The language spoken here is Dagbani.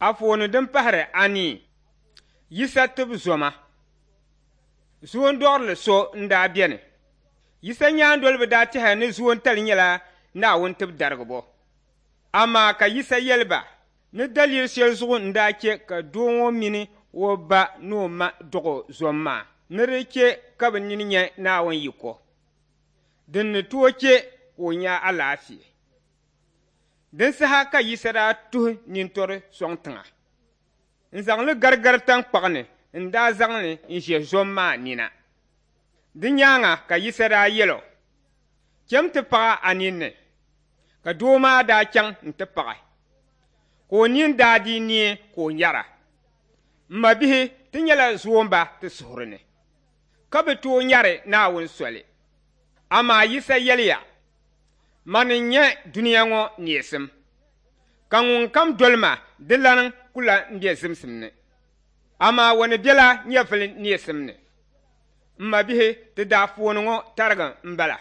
Anfooni din pahiri anii, Yisa tibu zoma. Zoondɔɣirili so n-daa beni. Yisa nyaandoliba daa tɛhiya ni zoontali nyɛla Naawuni tibidarigibo. Amaa ka Yisa yɛli ba ni daliri shɛli zuɣu n-daa chɛ ka doo ŋɔ mini o ba ni o ma dɔɣ o zom maa ni di chɛ ka bɛ nini nya Naawuni yiko din ni tooi chɛ ka o nya alaafee. Din saha ka Yisa daa tuhi nintɔri sɔŋ tiŋa n-zaŋ li garigari taŋkpaɣu ni n-daa zaŋ li n-ʒe zom maa nina. Di nyaaŋa ka Yisa daa yɛl o, Cham ti paɣ a ninni. Ka doo maa daa chaŋ nti paɣi, ka o nini daa dii neei ka o nyara. M mabihi, ti nyɛla zoomba ti suhuri ni, ka bi tooi nyari Naawuni soli. Amaa Yisa yɛliya, Mani n-nyɛ dunia ŋɔ neesim, ka ŋunkam doli ma di lan ku lan be zimsim ni, amaa o ni bela nyɛvili neesim ni. M mabihi, ti daafooni ŋɔ tariga m-bala.